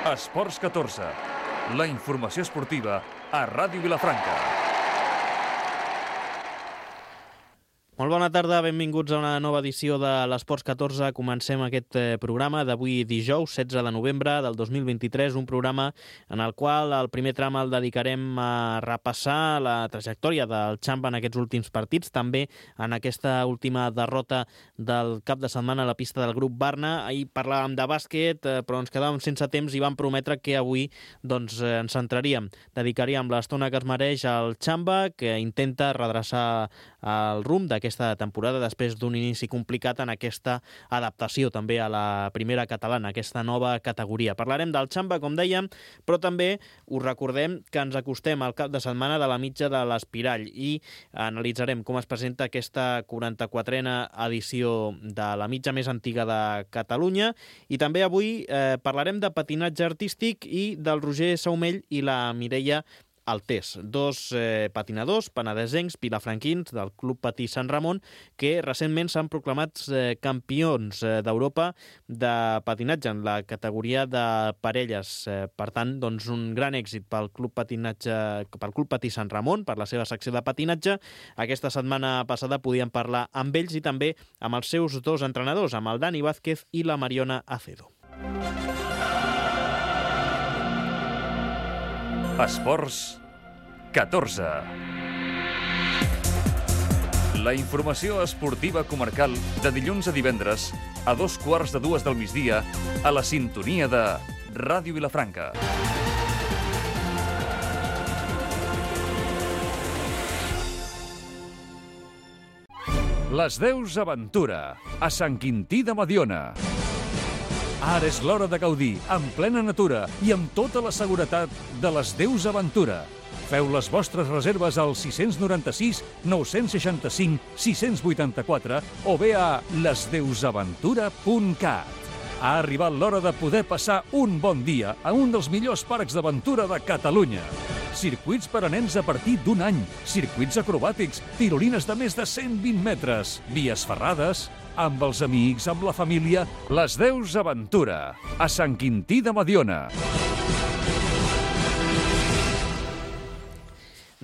Esports 14, la informació esportiva a Ràdio Vilafranca. Molt bona tarda, benvinguts a una nova edició de l'Esports 14. Comencem aquest programa d'avui dijous, 16 de novembre del 2023, un programa en el qual el primer tram el dedicarem a repassar la trajectòria del Xamba en aquests últims partits, també en aquesta última derrota del cap de setmana a la pista del grup Barna. Ahir parlàvem de bàsquet, però ens quedàvem sense temps i vam prometre que avui ens centraríem. Dedicaríem l'estona que es mereix al Xamba, que intenta redreçar el rumb d'aquesta temporada després d'un inici complicat en aquesta adaptació també a la primera catalana, aquesta nova categoria. Parlarem del Xamba, com dèiem, però també us recordem que ens acostem al cap de setmana de la mitja de l'Espirall i analitzarem com es presenta aquesta 44a edició de la mitja més antiga de Catalunya i també avui parlarem de patinatge artístic i del Roger Saumell i la Mireia Altés, dos patinadors penedesencs, vilafranquins del Club Patí Sant Ramon, que recentment s'han proclamat campions d'Europa de patinatge en la categoria de parelles. Per tant, doncs, un gran èxit pel Club Patí Sant Ramon, per la seva secció de patinatge. Aquesta setmana passada podíem parlar amb ells i també amb els seus dos entrenadors, amb el Dani Vázquez i la Mariona Acedo. Esports 14. La informació esportiva comarcal de dilluns a divendres a 2:15 del migdia a la sintonia de Ràdio Vilafranca. Les Deus Aventura, a Sant Quintí de Mediona. Ara és l'hora de gaudir, en plena natura i amb tota la seguretat de les Deus Aventura. Feu les vostres reserves al 696 965 684 o bé a lesdeusaventura.cat. Ha arribat l'hora de poder passar un bon dia a un dels millors parcs d'aventura de Catalunya. Circuits per a nens a partir d'un any, circuits acrobàtics, tirolines de més de 120 metres, vies ferrades, amb els amics, amb la família, les Deus Aventura, a Sant Quintí de Mediona.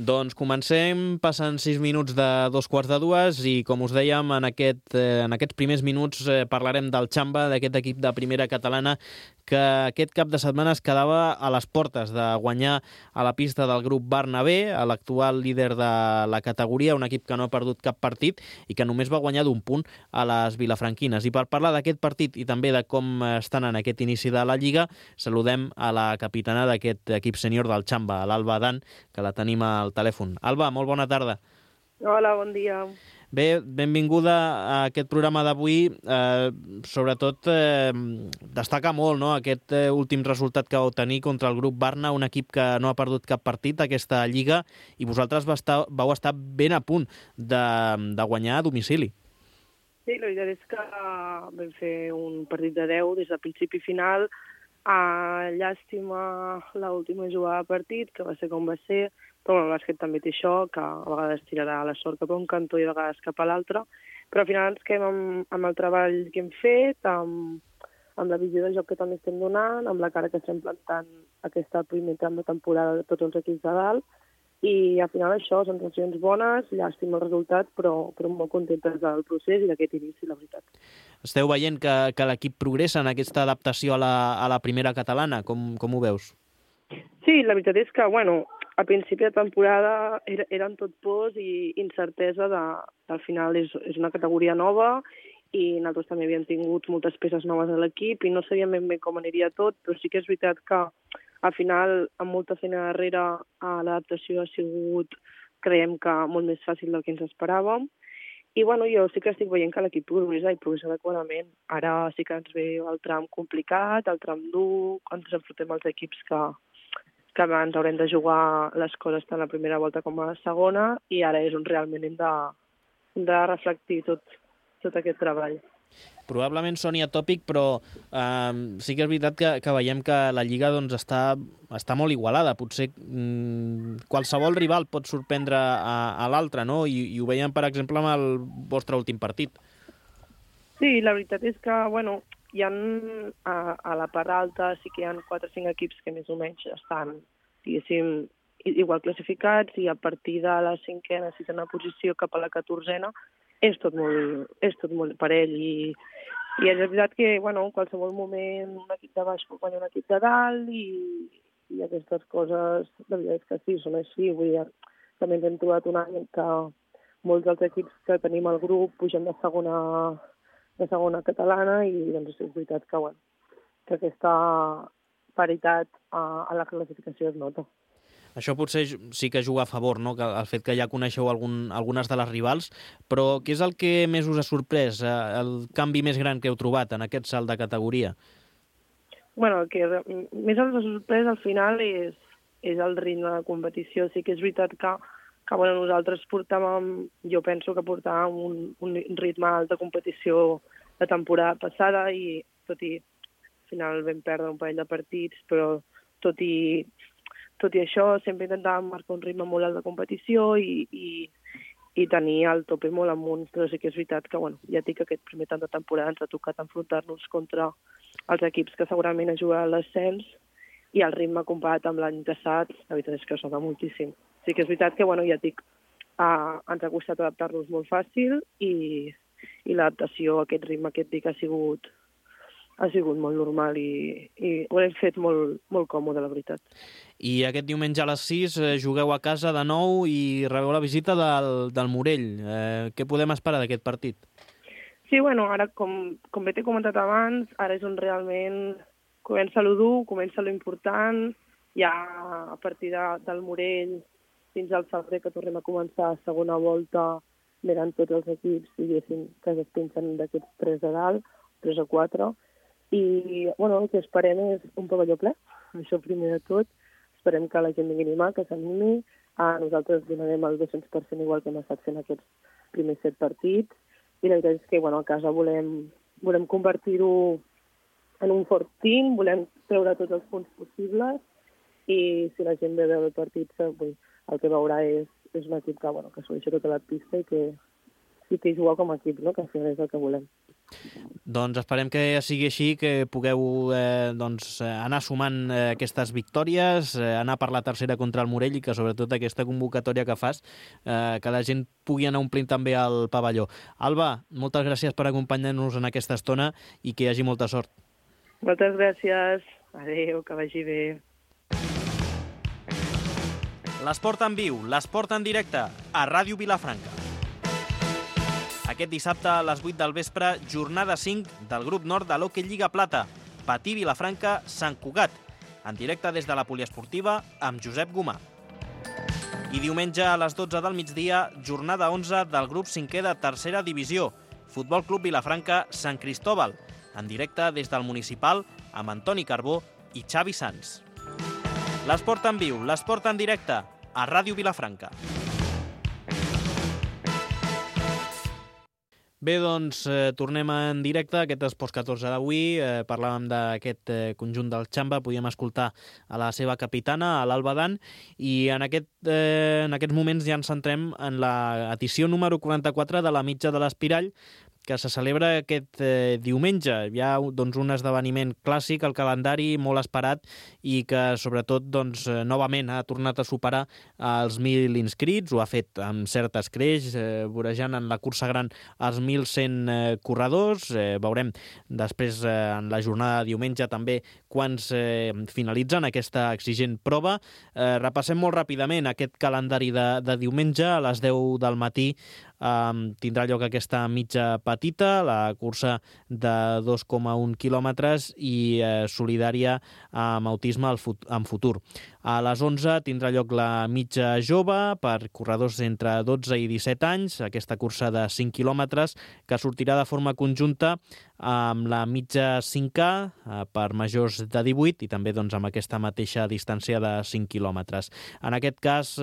Doncs comencem, passen 6 minuts de 2:15 i, com us dèiem, en aquests primers minuts parlarem del Xamba, d'aquest equip de primera catalana que aquest cap de setmana es quedava a les portes de guanyar a la pista del grup Barna B, a l'actual líder de la categoria, un equip que no ha perdut cap partit i que només va guanyar d'un punt a les vilafranquines. I per parlar d'aquest partit i també de com estan en aquest inici de la Lliga, saludem a la capitana d'aquest equip sènior del Xamba, l'Alba Dan, que la tenim al telèfon. Alba, molt bona tarda. Hola, bon dia. Bé, benvinguda a aquest programa d'avui. Sobretot destaca molt, no?, aquest últim resultat que vau tenir contra el grup Barna, un equip que no ha perdut cap partit d'aquesta Lliga, i vosaltres vau estar ben a punt de guanyar a domicili. Sí, la veritat és que vam fer un partit de 10 des de principi i final. Llàstima l'última jugada de partit, que va ser com va ser, però el bàsquet també té això, que a vegades tirarà la sort cap a un cantó i a vegades cap a l'altre, però al final ens quedem amb el treball que hem fet, amb la visió de joc que també estem donant, amb la cara que estem plantant aquesta primera tram de temporada de tots els equips de dalt, i al final això, sensacions bones, llàstima el resultat, però molt contentes del procés i d'aquest inici, la veritat. Esteu veient que l'equip progressa en aquesta adaptació a la primera catalana, com ho veus? Sí, la veritat és que, a principi de temporada eren tot pors i incertesa al final és una categoria nova i nosaltres també havíem tingut moltes peces noves a l'equip i no sabíem ben bé com aniria tot, però sí que és veritat que al final, amb molta feina darrere, l'adaptació ha sigut, creiem que, molt més fàcil del que ens esperàvem. I jo sí que estic veient que l'equip progressa i progressa adequadament. Ara sí que ens ve el tram complicat, el tram dur, quan ens enfrontem als equips que ens haurem de jugar les coses tant a la primera volta com a la segona, i ara és on realment hem de reflectir tot aquest treball. Probablement soni atòpic, però sí que és veritat que veiem que la Lliga està molt igualada. Potser qualsevol rival pot sorprendre a l'altre, no? I ho veiem, per exemple, amb el vostre últim partit. Sí, la veritat és que, hi ha a la part alta sí que hi ha 4 o 5 equips que més o menys estan, diguéssim, igual classificats, i a partir de la 5a, 6a posició cap a la 14a és tot molt parell, i és veritat que, bueno, en qualsevol moment un equip de baix pot guanyar un equip de dalt, i aquestes coses, la veritat és que sí, són així. Vull dir, també ens hem trobat un any que molts dels equips que tenim al grup pugen de segona catalana, i doncs és veritat que, bueno, que aquesta paritat a la classificació es nota. Això potser sí que juga a favor, no? Que el fet que ja coneixeu algunes de les rivals, però què és el que més us ha sorprès, el canvi més gran que heu trobat en aquest salt de categoria? Bueno, el que més ens ha sorprès al final és el ritme de competició. Sí que és veritat que bueno, nosaltres jo penso que portàvem un ritme alt de competició la temporada passada, i tot i al final vam perdre un parell de partits, però tot i això sempre intentàvem marcar un ritme molt alt de competició i tenir el tope molt amunt, però sí que és veritat que, bueno, ja dic que aquest primer tant de temporada ens ha tocat enfrontar-nos contra els equips que segurament han jugat a l'ascens, i el ritme comparat amb l'any passat, la veritat és que es nota moltíssim. Sí que és veritat que, bueno, ja dic, ens ha costat adaptar-nos molt fàcil, i l'adaptació a aquest ritme que et dic ha sigut molt normal, i ho hem fet molt, molt còmode, la veritat. I aquest diumenge a les 6 jugueu a casa de nou i rebeu la visita del Morell. Què podem esperar d'aquest partit? Sí, bueno, ara, com bé t'he comentat abans, ara és on realment comença lo dur, comença lo important. Ja a partir del Morell fins al febrer, que tornem a començar a segona volta, venen tots els equips, diguéssim, que es pensen d'aquests 3 de dalt, 3 o 4, i bueno, el que esperem és un pavelló ple, això primer de tot. Esperem que la gent vingui a animar, que s'animi. Nosaltres donarem el 200% igual que hem estat fent aquests primers 7 partits, i la veritat és que, bueno, a casa volem convertir-ho en un fort team, volem treure tots els punts possibles, i si la gent ve a veure el partit, el que veurà és un equip que, bueno, que s'ho deixa tota la pista i que juga com a equip, no? Que al final és el que volem. Doncs esperem que sigui així, que pugueu anar sumant aquestes victòries, anar per la tercera contra el Morell, i que sobretot aquesta convocatòria que fas, que la gent pugui anar omplint també al pavelló. Alba, moltes gràcies per acompanyar-nos en aquesta estona i que hi hagi molta sort. Moltes gràcies. Adéu, que vagi bé. L'esport en viu, l'esport en directe, a Ràdio Vilafranca. Aquest dissabte a les 8 del vespre, jornada 5 del grup nord de l'Hockey Lliga Plata, Patí Vilafranca, Sant Cugat, en directe des de la poliesportiva amb Josep Gomà. I diumenge a les 12 del migdia, jornada 11 del grup 5è de tercera divisió, Futbol Club Vilafranca, Sant Cristóbal, en directe des del municipal amb Antoni Carbó i Xavi Sans. L'esport en viu, l'esport en directe, a Ràdio Vilafranca. Bé, doncs, tornem en directe, aquest Esports 14 d'avui. Parlàvem d'aquest conjunt del Xamba, podíem escoltar a la seva capitana, a l'Alba Dan, i en aquests moments ja ens centrem en l'edició número 44 de la Mitja de l'Espirall, que se celebra aquest diumenge. Hi ha doncs, un esdeveniment clàssic al calendari, molt esperat, i que sobretot doncs, novament ha tornat a superar els 1.000 inscrits, ho ha fet amb cert escreix, vorejant en la cursa gran els 1.100 corredors. Veurem després en la jornada de diumenge també quants finalitzen aquesta exigent prova. Repassem molt ràpidament aquest calendari de diumenge. A les 10 del matí tindrà lloc aquesta mitja petita, la cursa de 2,1 quilòmetres i solidària amb autisme en futur. A les 11 tindrà lloc la mitja jove per corredors entre 12 i 17 anys, aquesta cursa de 5 quilòmetres que sortirà de forma conjunta amb la mitja 5K per majors de 18 i també doncs, amb aquesta mateixa distància de 5 quilòmetres. En aquest cas,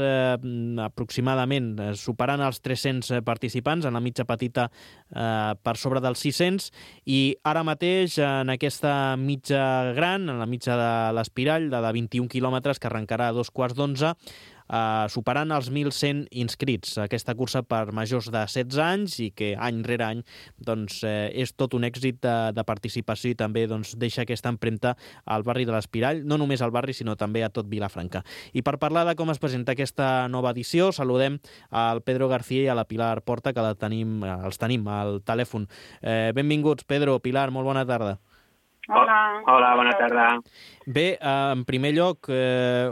aproximadament superant els 300 participants, en la mitja petita per sobre dels 600, i ara mateix en aquesta mitja gran, en la mitja de l'Espirall, de 21 quilòmetres, que arrencarà a 2:15, superant els 1.100 inscrits. Aquesta cursa per majors de 16 anys i que any rere any doncs, és tot un èxit de participació i també doncs, deixa aquesta empremta al barri de l'Espirall, no només al barri, sinó també a tot Vilafranca. I per parlar de com es presenta aquesta nova edició, saludem al Pedro García i a la Pilar Porta, que els tenim al telèfon. Benvinguts, Pedro, Pilar, molt bona tarda. Hola. Hola, bona tarda. Bé, en primer lloc,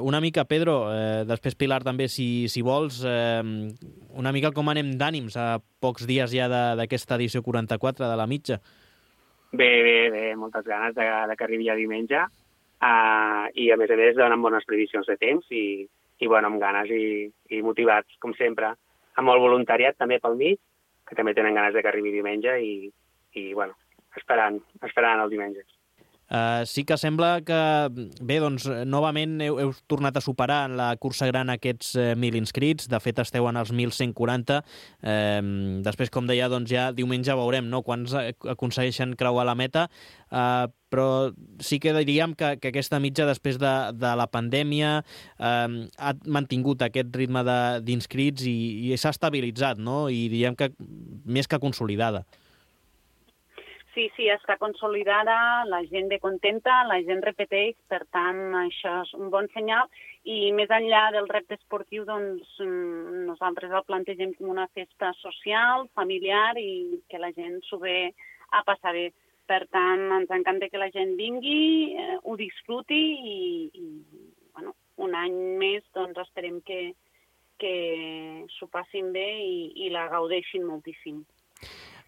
una mica, Pedro, després Pilar també, si vols, una mica com anem d'ànims a pocs dies ja d'aquesta edició 44 de la mitja. Bé, moltes ganes de que arribi ja diumenge i a més donen bones previsions de temps i bueno, amb ganes i motivats, com sempre, amb molt voluntariat també pel mig, que també tenen ganes de que arribi diumenge i bueno, esperant el diumenge. Sí que sembla que, bé, doncs, novament heu tornat a superar en la cursa gran aquests 1.000 inscrits. De fet, esteu en els 1.140. Després, com deia, doncs ja diumenge veurem, no?, quants aconsegueixen creuar la meta. Però sí que diríem que aquesta mitja, després de la pandèmia, ha mantingut aquest ritme d'inscrits i s'ha estabilitzat, no?, i diríem que més que consolidada. Sí, està consolidada, la gent ve contenta, la gent repeteix, per tant, això és un bon senyal. I més enllà del repte esportiu, doncs, nosaltres el plantegem com una festa social, familiar i que la gent s'ho ve a passar bé. Per tant, ens encanta que la gent vingui, ho disfruti i bueno, un any més doncs, esperem que s'ho passin bé i la gaudeixin moltíssim.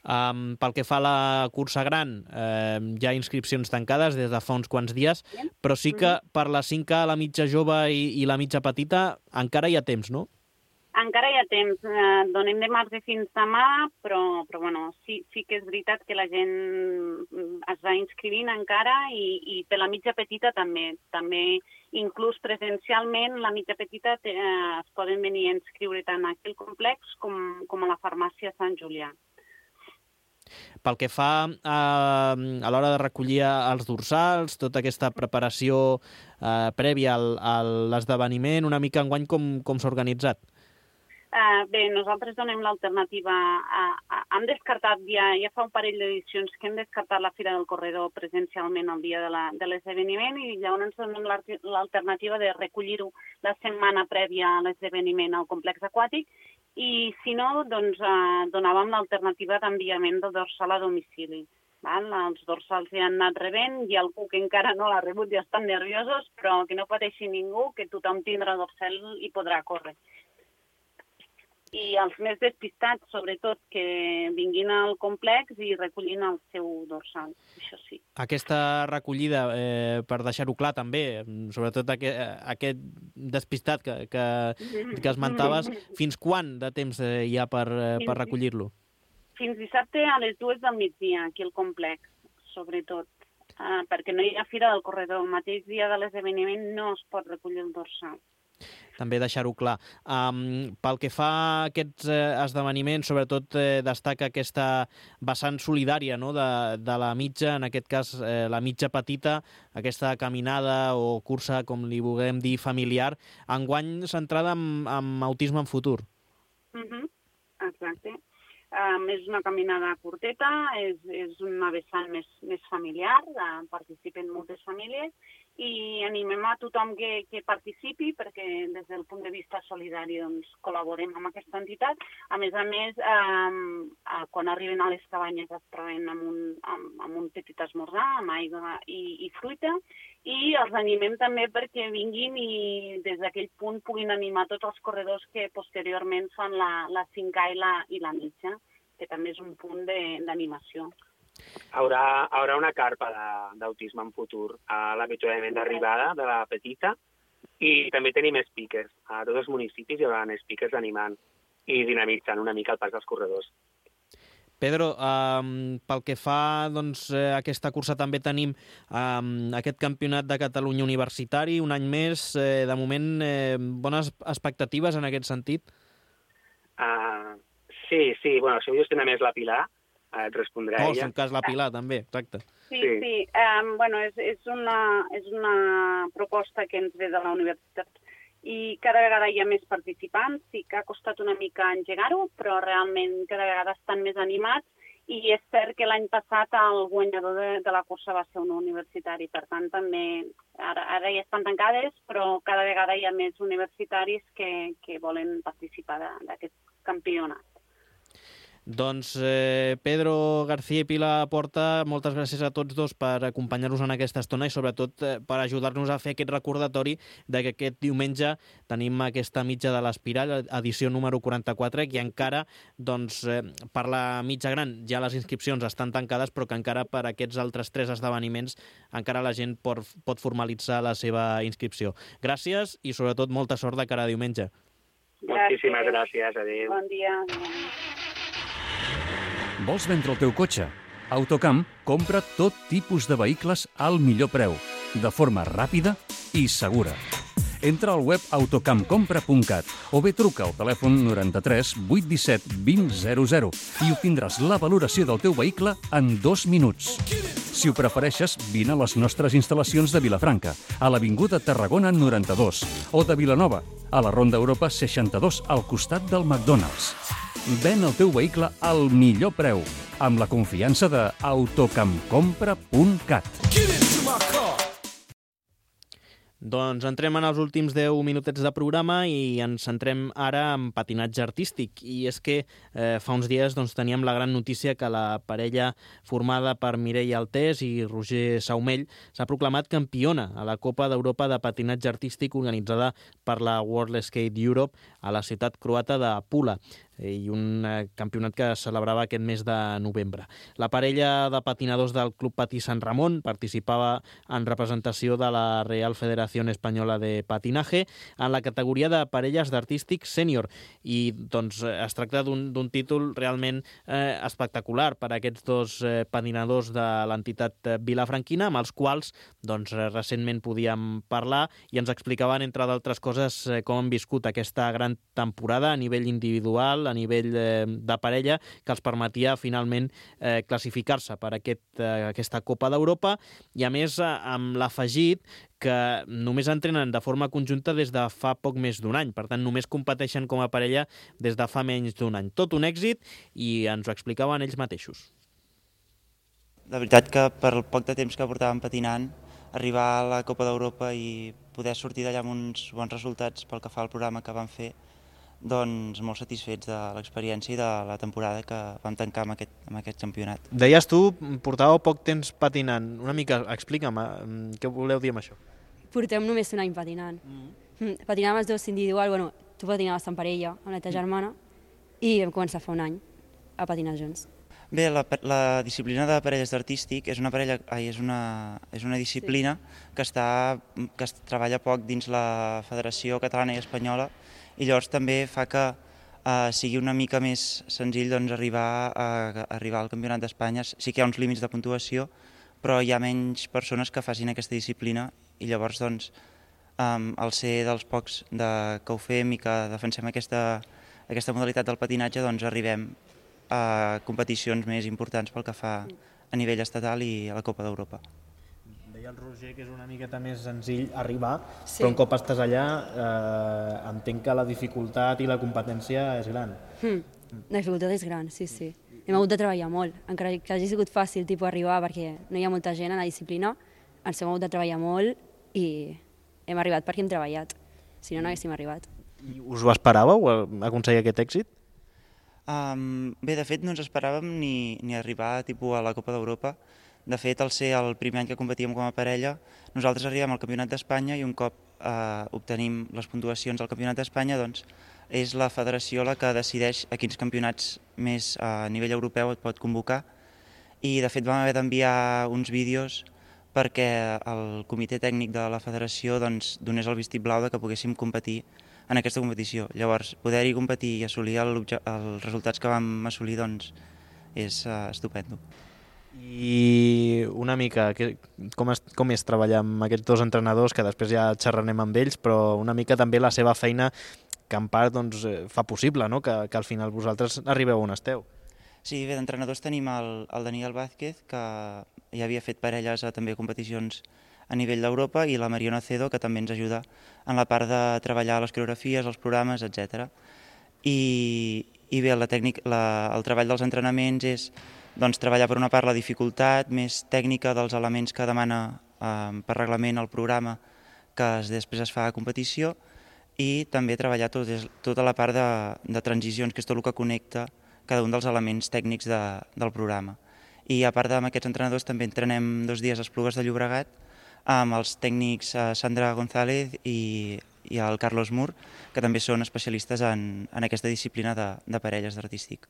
Pel que fa a la cursa gran, hi ha inscripcions tancades des de fa uns quants dies, però sí que per la 5K, la mitja jove i la mitja petita encara hi ha temps, no? Encara hi ha temps. Donem de marge fins demà, però bueno, sí que és veritat que la gent es va inscrivint encara i per la mitja petita també. També, inclús presencialment, la mitja petita es poden venir a inscriure tant aquí al complex com a la farmàcia Sant Julià. Pel que fa a l'hora de recollir els dorsals, tota aquesta preparació prèvia a l'esdeveniment, una mica enguany com s'ha organitzat? Bé, nosaltres donem l'alternativa. Hem descartat, ja fa un parell d'edicions que hem descartat la Fira del Corredor presencialment el dia de l'esdeveniment i llavors donem l'alternativa de recollir-ho la setmana prèvia a l'esdeveniment al complex aquàtic i, si no, doncs donàvem l'alternativa d'enviament del dorsal a domicili. Els dorsals ja han anat rebent, hi ha algú que encara no l'ha rebut i estan nerviosos, però que no pateixi ningú, que tothom tindrà dorsal i podrà córrer. I els més despistats, sobretot, que vinguin al complex i recollin el seu dorsal, això sí. Aquesta recollida, per deixar-ho clar també, sobretot aquest despistat que esmentaves, fins quan de temps hi ha per recollir-lo? Fins dissabte a les 2 del migdia, aquí al complex, sobretot, perquè no hi ha Fira del Corredor. El mateix dia de l'esdeveniment no es pot recollir el dorsal. També deixar-ho clar. Pel que fa a aquests esdeveniments, sobretot destaca aquesta vessant solidària, no?, de la mitja, en aquest cas la mitja petita, aquesta caminada o cursa, com li vulguem dir, familiar, enguany centrada en autisme en futur. Exacte. És una caminada curteta, és una vessant més familiar, participen moltes famílies i animem a tothom que participi perquè des del punt de vista solidari doncs, col·laborem amb aquesta entitat. A més, quan arriben a les cabanyes es troben amb un petit esmorzar, amb aigua i fruita i els animem també perquè vinguin i des d'aquell punt puguin animar tots els corredors que posteriorment fan la 5K i la mitja, que també és un punt d'animació. Haurà una carpa d'autisme en futur a l'avituallament d'arribada de la petita i també tenim speakers. A tots els municipis hi haurà speakers animant i dinamitzant una mica el pas dels corredors. Pedro, pel que fa doncs, a aquesta cursa també tenim aquest campionat de Catalunya universitari, un any més. De moment, bones expectatives en aquest sentit? Sí. Bueno, això ho gestiona més la Pilar, et respondrà ella. En un cas la Pilar, també, exacte. Sí. Bueno, és una proposta que ens ve de la universitat i cada vegada hi ha més participants. Sí que ha costat una mica engegar-ho, però realment cada vegada estan més animats, i és cert que l'any passat el guanyador de la cursa va ser un universitari. Per tant, també ara ja estan tancades, però cada vegada hi ha més universitaris que volen participar d'aquest campionat. Doncs Pedro García i Pilar Porta, moltes gràcies a tots dos per acompanyar-nos en aquesta estona i sobretot per ajudar-nos a fer aquest recordatori de que aquest diumenge tenim aquesta mitja de l'Espiral, edició número 44, i encara, doncs, per la mitja gran ja les inscripcions estan tancades, però que encara per aquests altres 3 esdeveniments encara la gent pot formalitzar la seva inscripció. Gràcies i sobretot molta sort de cara a diumenge. Moltíssimes gràcies, adéu. Bon dia. Vols vendre el teu cotxe? Autocamp compra tot tipus de vehicles al millor preu, de forma ràpida i segura. Entra al web autocampcompra.cat o bé truca al telèfon 93 817 2000 i obtindràs la valoració del teu vehicle en 2 minuts. Si ho prefereixes, vine a les nostres instal·lacions de Vilafranca, a l'Avinguda Tarragona 92, o de Vilanova, a la Ronda Europa 62, al costat del McDonald's. Ven el teu vehicle al millor preu, amb la confiança de autocampcompra.cat. Doncs entrem en els últims 10 minutets de programa i ens centrem ara en patinatge artístic. I és que fa uns dies teníem la gran notícia que la parella formada per Mireia Altés i Roger Saumell s'ha proclamat campiona a la Copa d'Europa de patinatge artístic organitzada per la World Skate Europe a la ciutat croata de Pula, i un campionat que es celebrava aquest mes de novembre. La parella de patinadors del Club Patí Sant Ramon participava en representació de la Real Federación Española de Patinaje en la categoria de parelles d'artístic sènior, i doncs es tracta d'un títol realment espectacular per a aquests dos patinadors de l'entitat vilafranquina, amb els quals recentment podíem parlar i ens explicaven, entre d'altres coses, com han viscut aquesta gran temporada a nivell individual, a nivell de parella, que els permetia finalment classificar-se per aquesta Copa d'Europa, i a més amb l'afegit que només entrenen de forma conjunta des de fa poc més d'un any. Per tant, només competeixen com a parella des de fa menys d'un any. Tot un èxit, i ens ho explicaven ells mateixos. La veritat que per el poc de temps que portàvem patinant, arribar a la Copa d'Europa i poder sortir d'allà amb uns bons resultats pel que fa al programa que vam fer, doncs molt satisfets de l'experiència i de la temporada que vam tancar amb aquest campionat. Deies tu, portàveu poc temps patinant. Una mica, explica'm, què voleu dir amb això? Portem només un any patinant. Patinàvem els dos individual, tu patinaves en parella amb la teva germana, i vam començar fa un any a patinar junts. Bé, la disciplina de parelles d'artístic és una disciplina que es treballa poc dins la Federació Catalana i Espanyola, i llavors també fa que sigui una mica més senzill arribar al Campionat d'Espanya. Sí que hi ha uns límits de puntuació, però hi ha menys persones que facin aquesta disciplina, i llavors al ser dels pocs que ho fem i que defensem aquesta modalitat del patinatge, arribem a competicions més importants pel que fa a nivell estatal i a la Copa d'Europa. Deia el Roger que és una miqueta més senzill arribar, sí, però un cop estàs allà entenc que la dificultat i la competència és gran. La dificultat és gran, sí. Hem hagut de treballar molt, encara que hagi sigut fàcil arribar perquè no hi ha molta gent en la disciplina, ens hem hagut de treballar molt i hem arribat perquè hem treballat, si no, no haguéssim arribat. I us ho esperàveu, aconseguir aquest èxit? Bé, de fet no ens esperàvem ni arribar a la Copa d'Europa. De fet, al ser el primer any que competíem com a parella, nosaltres arribem al Campionat d'Espanya i un cop obtenim les puntuacions al Campionat d'Espanya, doncs és la federació la que decideix a quins campionats més a nivell europeu et pot convocar, i de fet vam haver d'enviar uns vídeos perquè el comitè tècnic de la federació donés el vistiplau que poguéssim competir en aquesta competició. Llavors, poder-hi competir i assolir els resultats que vam assolir és estupendo. I una mica, com és treballar amb aquests dos entrenadors, que després ja xerrarem amb ells, però una mica també la seva feina, que en part fa possible que al final vosaltres arribeu on esteu. Sí, bé, d'entrenadors tenim el Daniel Vázquez, que ja havia fet parelles també a competicions a nivell d'Europa, i la Mariona Cedo, que també ens ajuda en la part de treballar les coreografies, els programes, etc. I bé, el treball dels entrenaments és treballar per una part la dificultat més tècnica dels elements que demana per reglament el programa que després es fa a competició, i també treballar tota la part de transicions, que és tot el que connecta cada un dels elements tècnics del programa. I a part d'aquests entrenadors també entrenem 2 dies a Esplugues de Llobregat amb els tècnics Sandra González i el Carlos Mur, que també són especialistes en aquesta disciplina de parelles d'artístic.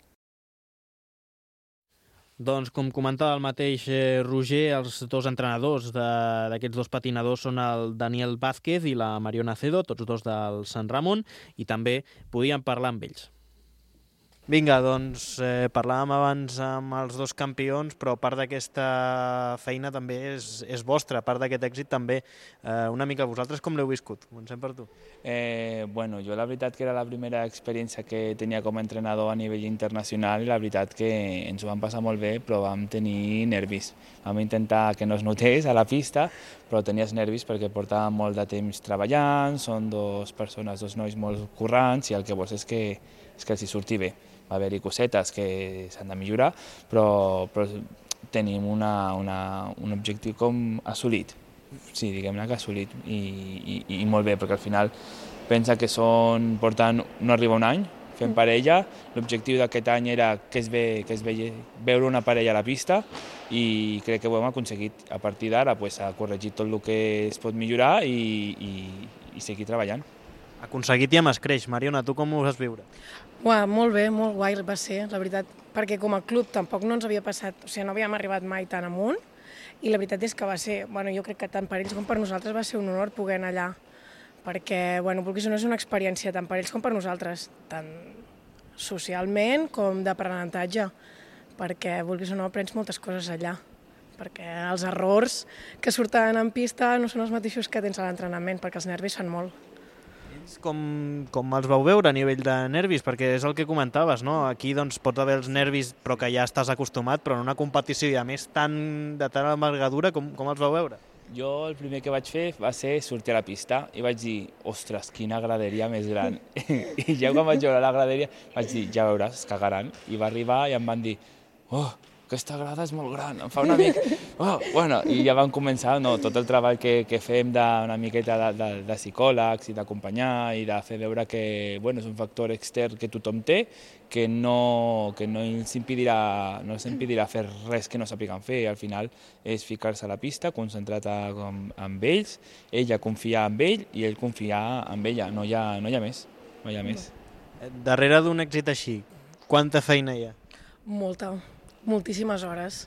Doncs, com comentava el mateix Roger, els 2 entrenadors d'aquests 2 patinadors són el Daniel Vázquez i la Mariona Cedo, tots 2 del Sant Ramon, i també podíem parlar amb ells. Vinga, doncs parlàvem abans amb els 2 campions, però part d'aquesta feina també és vostra, part d'aquest èxit també. Una mica vosaltres com l'heu viscut? Comencem per tu. Bueno, jo la veritat que era la primera experiència que tenia com a entrenador a nivell internacional, i la veritat que ens ho vam passar molt bé, però vam tenir nervis. Vam intentar que no es notés a la pista, però tenies nervis perquè portàvem molt de temps treballant, són 2 persones, 2 nois molt currants, i el que vols és que els hi surti bé. Va haver-hi cosetes que s'han de millorar, però tenim un objectiu com assolit. Sí, diguem-ne que assolit, i molt bé, perquè al final pensa que no arriba un any fent parella. L'objectiu d'aquest any era que es veure una parella a la pista, i crec que ho hem aconseguit. A partir d'ara a corregir tot el que es pot millorar i seguir treballant. Aconseguit i amb escreix. Mariona, tu com ho vas viure? Molt bé, molt guai va ser, la veritat, perquè com a club tampoc no ens havia passat, o sigui, no havíem arribat mai tan amunt, i la veritat és que va ser, jo crec que tant per ells com per nosaltres va ser un honor poder anar allà, perquè, vulguis o no, és una experiència tant per ells com per nosaltres, tant socialment com d'aprenentatge, perquè, vulguis o no, aprens moltes coses allà, perquè els errors que surten en pista no són els mateixos que tens a l'entrenament, perquè els nervis fan molt. Com els vau veure a nivell de nervis? Perquè és el que comentaves, no? Aquí pots haver els nervis però que ja estàs acostumat, però en una competició, i a més de tal envergadura, com els vau veure? Jo el primer que vaig fer va ser sortir a la pista i vaig dir, ostres, quina graderia més gran. I ja quan vaig veure la graderia vaig dir, ja veuràs, es cagaran. I va arribar i em van dir, aquesta grada és molt gran, em fa una mica... I ja van començar tot el treball que fem d'una miqueta de psicòlegs i d'acompanyar i de fer veure que és un factor extern que tothom té, que no els impedirà fer res que no sàpiguen fer. Al final és ficar-se a la pista, concentrat amb ells, ella confiar en ell i ell confiar en ella, no hi ha més. Darrere d'un èxit així, quanta feina hi ha? Moltíssimes hores.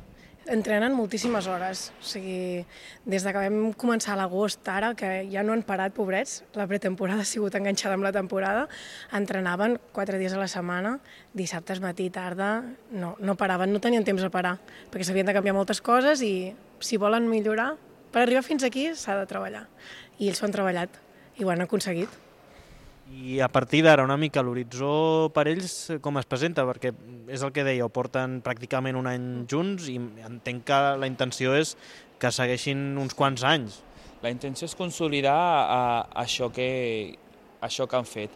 Entrenen moltíssimes hores. O sigui, des que vam començar a l'agost ara, que ja no han parat, pobrets, la pretemporada ha sigut enganxada amb la temporada, entrenaven 4 dies a la setmana, dissabtes, matí, tarda, no paraven, no tenien temps a parar, perquè s'havien de canviar moltes coses i si volen millorar, per arribar fins aquí s'ha de treballar. I ells ho han treballat i ho han aconseguit. I a partir d'ara, una mica, l'horitzó per ells com es presenta? Perquè és el que deia, ho porten pràcticament un any junts i entenc que la intenció és que segueixin uns quants anys. La intenció és consolidar això que han fet.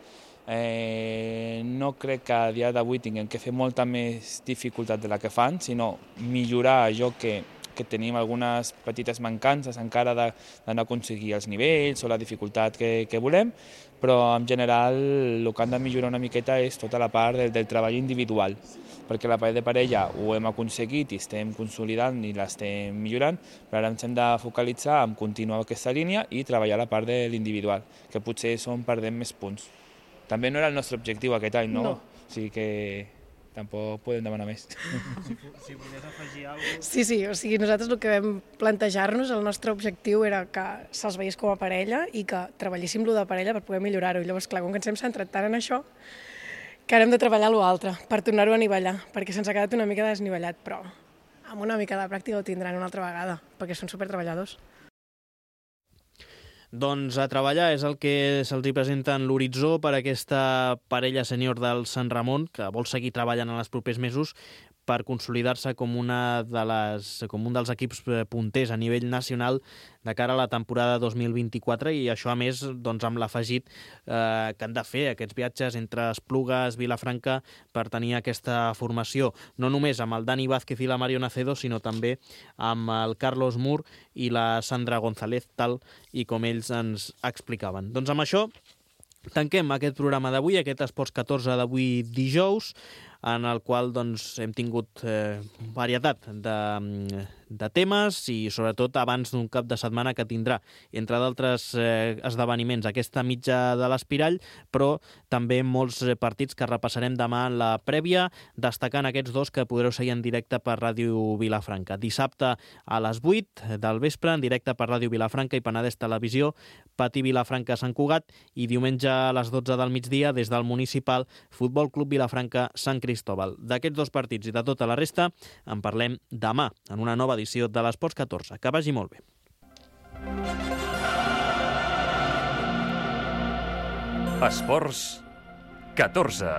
No crec que a dia d'avui tinguem que fer molta més dificultat de la que fan, sinó millorar allò que tenim algunes petites mancances encara d'anar a aconseguir els nivells o la dificultat que volem, però en general el que han de millorar una miqueta és tota la part del treball individual, perquè la part de parella ho hem aconseguit i estem consolidant i l'estem millorant, però ara ens hem de focalitzar en continuar aquesta línia i treballar la part de l'individual, que potser és on perdem més punts. També no era el nostre objectiu aquest any, no? O sigui que tampoc podem demanar més. Si volies afegir alguna cosa... Sí, o sigui, nosaltres el que vam plantejar-nos, el nostre objectiu era que se'ls veiés com a parella i que treballéssim lo de parella per poder millorar-ho. I llavors, clar, com que ens hem centrat tant en això, que ara hem de treballar l'altre per tornar-ho a anivellar, perquè se'ns ha quedat una mica desnivellat, però amb una mica de pràctica ho tindran una altra vegada, perquè són supertreballadors. Doncs a treballar és el que se'ls presenta en l'horitzó per aquesta parella sènior del Sant Ramon, que vol seguir treballant en els propers mesos, per consolidar-se com un dels equips punters a nivell nacional de cara a la temporada 2024, i això, a més, doncs, amb l'afegit que han de fer aquests viatges entre Esplugues, Vilafranca, per tenir aquesta formació, no només amb el Dani Vázquez i la Mario Nacedo, sinó també amb el Carlos Mur i la Sandra González, tal i com ells ens explicaven. Doncs amb això tanquem aquest programa d'avui, aquest Esports 14 d'avui dijous, en el qual doncs, hem tingut varietat de temes i sobretot abans d'un cap de setmana que tindrà, entre d'altres esdeveniments, aquesta mitja de l'Espirall, però també molts partits que repassarem demà en la prèvia, destacant aquests dos que podreu seguir en directe per Ràdio Vilafranca. Dissabte a les 8 del vespre, en directe per Ràdio Vilafranca i Penedès Televisió, Patí Vilafranca Sant Cugat, i diumenge a les 12 del migdia des del Municipal Futbol Club Vilafranca Sant Cristóbal. D'aquests dos partits i de tota la resta en parlem demà en una nova edició de l'Esports 14. Que vagi molt bé. Esports 14.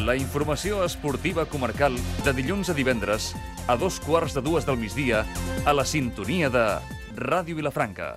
La informació esportiva comarcal de dilluns a divendres a 2:15 del migdia a la sintonia de Ràdio Vilafranca.